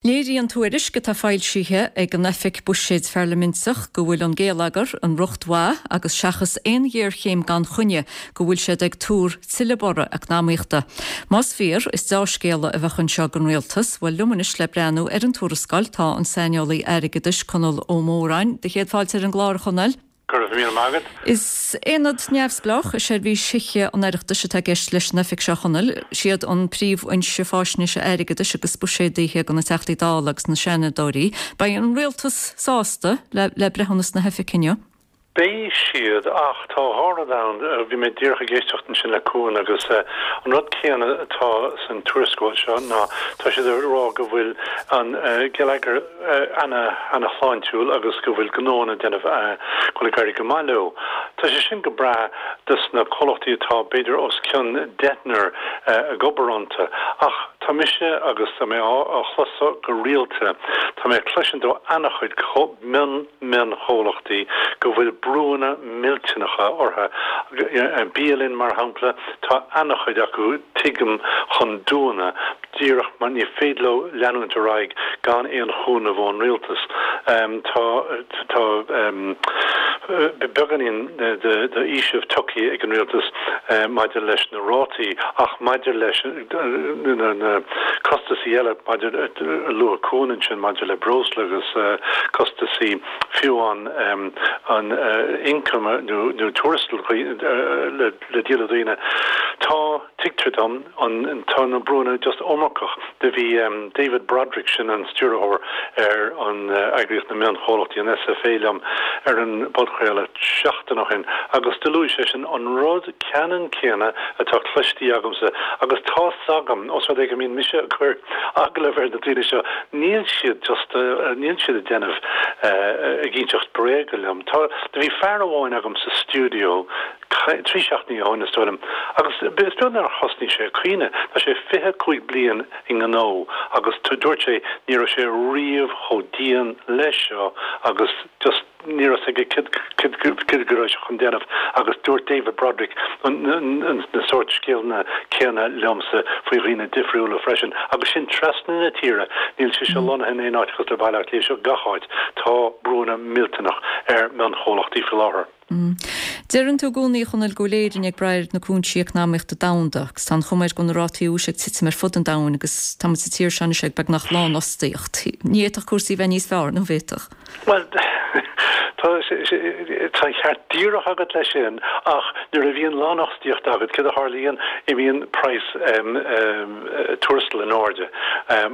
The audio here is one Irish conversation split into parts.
Léiríonn tuairisc atá foilsithe ag an Oifig Buiséid Pharlaiminteach go bhfuil an géilleagar i riocht mhaith agus seachas aon ghéarchéim gan choinne go bhfuil siad ag tuar tuilleadh borradh eacnamaíochta. Más fíor, is deá-scéala a bheadh anseo don Rialtas. Bhuel, liom anois le breathnú ar an tuarascáil tá an saineolaí airgeadais Conall Ó Móráin. Do chéad fáilte ar an gclár, a Chonaill. Go raibh míle maith agat. Is aonad neamhspleách i seirbhís Thithe an Oireachtais atá i gceist leis an oifig seo, a Chonaill. Siad an príomhfhoinse fáisnéise airgeadais agus buiséadaithe do na Teachtaí Dála agus na Seanadóirí. Beidh an Rialtas sásta le breithiúnas na hoifige inniu. Beidh siad, ach tá dhá rud ann. Bhí mé díreach ag éisteacht ansin le Cuan agus an rud céanna atá san tuarascáil seo ná tá siad ag rá go bhfuil an geilleagar, ana-shláintiúil agus go bhfuil gnóanna ag déanamh, go bhfuil ag éirí go maith leo. Tá sé sin go breá dos na comhlachtaí atá b'fhéidir os cionn deichniúr ag obair iontu ach tá mise agus tá mé á chlos go rialta, tá mé ag cloisint ó ana-chuid mion mion-chomhlachtaí go bhfuil brúanna millteanacha orthu. Bialanna mar shampla, tá ana-chuid acu tuigim chun dúnadh. díreach mar ní féidir leo leanúint ar aghaidh gan aon chúnamh ón rialtas. Tá tá beagáinín de fhaoiseamh tugtha ag an rialtas maidir leis na rátaí ach maidir leis na costasaí eile maidir a luaigh Cuan ansin maidir le breosla agus costasaí fiú an an ioncam nó tuarastal le díol le daoine tá Tuigtear dom, an, tá na brúanna just iomarcach. Do bhí David Broderick, sin an stiúrthóir ar an eagraíocht na mionchomhlachtaí, an SFA, liom ar an bpodchraoladh seachtain ó shin agus do luaigh seisean an rud ceannann céanna atá cloistí agamsa agus tá's agam, os rud é go mbíonn mise ag cur agallamh ar na daoine seo, níl siad just, níl siad ag déanamh, ag inseacht bréaga liom. Tá, do bhí fear amháin agam sa stiúideo, 3 seachtainí ó shin, is dóigh liom, agus is beag nár thosnaigh sé ag caoineadh. Tá sé 25 bliain i ngnó agus dúirt sé ní raibh sé riamh chomh dian leis seo agus just ní raibh 's aige cad cad go raibh sé chun déanamh agus dúirt David Broderick na sórt scéalna céanna liomsa faoi dhaoine difriúla freisin agus sin trasna na tíre, níl sé seo lonnaithe in aon áit cosúil le Baile Átha Cliath, seo gach áit, tá brúanna millteanach ar mhionchomhlachtaí faoi láthair. Deireann tú i gcónaí, a Chonaill, go bhfuil Éirinn ag brath ar na cúinsí eacnamaíochta domhanda agus tá an chuma air go bhfuil na rátaí úis ag titim ar fud an domhain agus tá muid sa tír seo anois ag beagnach lánfhostaíocht. Ní fhéadfadh cúrsaí a bheith níos fearr, nó an bhféadfadh? Bhuel, tá tá an ceart díreach agat leis sin ach nuair a bhíonn lánfhostaíocht agat, céard a tharlaíonn? Imíonn praghas tuarastail in airde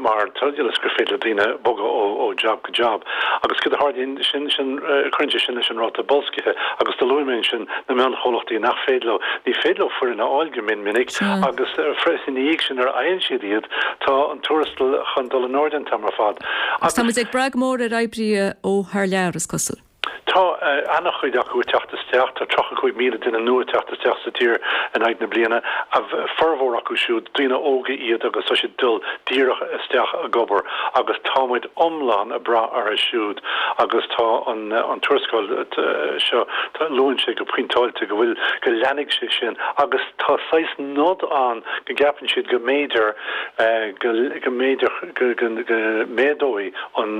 mar ionas gur féidir le daoine bogadh ó job go job. Agus céard a tharlaíonn, sin, sin, cuireann sé sin leis an ráta boilscithe agus do luaigh mé ansin na mionchomhlachtaí nach féidir leo, ní féidir leo foireann a fháil go mion minic agus freisin ina dhiaidh sin nuair a fhaigheann siad iad tá an tuarastal chun dul in airde an t-am ar fad. Agus tá muid ag brath go mór ar oibrithe ó thar lear, is cosúil. Tá ana-chuid acu ag teacht isteach, tá 35,000 duine nua ag teacht isteach sa tír in aghaidh na bliana, a formhór acu siúd, daoine óga iad agus tá siad ag dul díreach isteach ag obair agus tá muid iomlán ag brath orthu siúd agus tá an tuarascáil seo, luann sé go pointeáilte go bhfuil, go leanfaidh sé sin agus tá saghas nod ann go gceapann siad go mb'fhéidir go mb'fhéidir go méadóidh an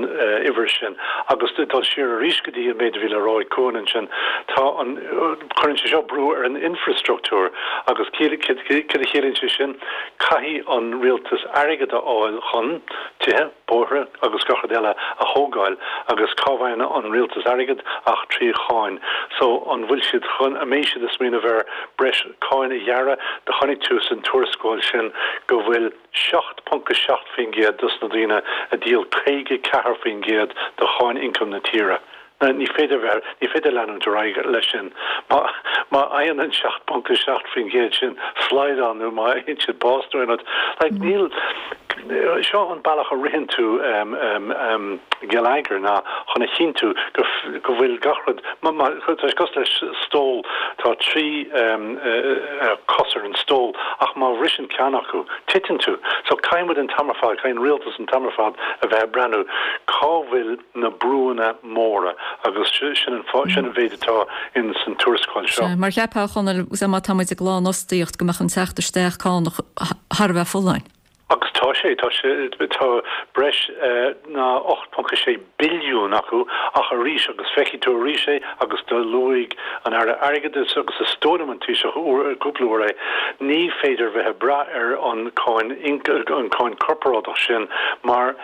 uimhir sin. Agus dul siar arís go dtí an méid a bhí le rá ag Cuan ansin, tá an, cuireann sé seo brú ar an infreastruchtúr agus céard a chiallaíonn sé sin? Caithfidh an rialtas airgead a fháil chun tithe, bóithre agus gach rud eile a thógáil agus cá bhfaigheann an rialtas airgead ach trí cháin. So an bhfuil siad chun, an mbeidh siad ag smaoineamh ar breis cáin a ghearradh? Do chonaic tú san tuarascáil sin go bhfuil 7.7% dos na daoine a dhíol 54% de cháin ioncaim na tíre. Ní féidir bheith, ní féidir leanúint ar aghaidh leis sin. Má, má fhaigheann an 7.7% sin slaghdán nó má fhaigheann siad bás nó aon rud, like níl, seo an bealach a ritheann tú geilleagar ná chun a chinntiú go, go bhfuil gach rud, má, má, tá sé cosúil le stól, tá 3 cos ar an stól ach má bhriseann ceann acu, titeann tú. So caithfidh muid an t-am ar fad, caithfidh an rialtas an t-am ar fad a bheith ag breathnú cá bhfuil na brúanna móra agus sin an fáth, sin an mhéid atá in san tuarascáil seo. Sea, mar cheapfá, a Chonaill, má tá muid ag lánfhostaíocht go mbeadh an teacht isteach cánach thar a bheith folláin. Agus tá sé, tá sé, tá breis ná 8.6 billiún acu ach arís, agus feicfidh tú arís é, agus do luaigh an Aire Airgeadais agus is dóigh liom an Taoiseach uair, cúpla uair é, ní féidir bheith ag brath ar an cáin, an cáin corparáideach sin mar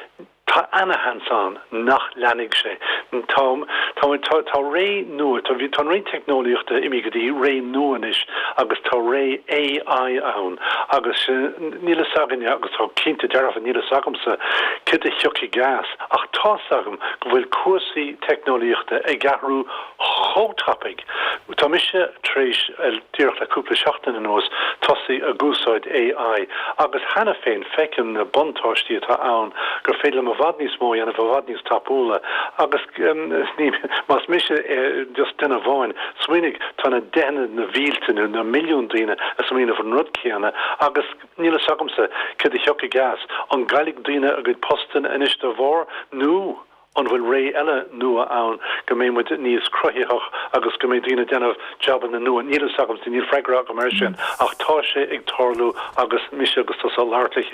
Tá ana-sheans ann nach leanfaidh sé. Tá, tá, tá, tá ré nua, tá, tá an ré teicneolaíochta imithe go dtí ré nua anois agus tá ré AI ann agus níl fhios againne agus tá cinnte dearfa níl fhios agamsa céard a thiocfaidh as ach tá's agam go bhfuil cúrsaí teicneolaíochta ag athrú chomh tapaidh. Tá mise tar éis, díreach le cúpla seachtain anuas, tosaí ag úsáid AI agus cheana féin feicim na buntáistí atá ann, gur féidir liom i bhfad níos mó a dhéanamh i bhfad níos tapúla agus ní, más mise just duine amháin, smaoinigh, tá na deicheanna, na mílte nó na milliúin daoine ag smaoineamh an rud céanna agus níl fhios agamsa céard a thiocfaidh as. An gcaillfidh daoine a gcuid postanna anois dá bharr nó? An bhfuil ré eile nua ann go mbeidh muid níos cruthaitheach agus go mbeidh daoine ag déanamh jabanna nua? Níl fhios agam, níl freagra agam air sin ach tá sé ag tarlú agus mise agus tusa ag labhairt le chéile.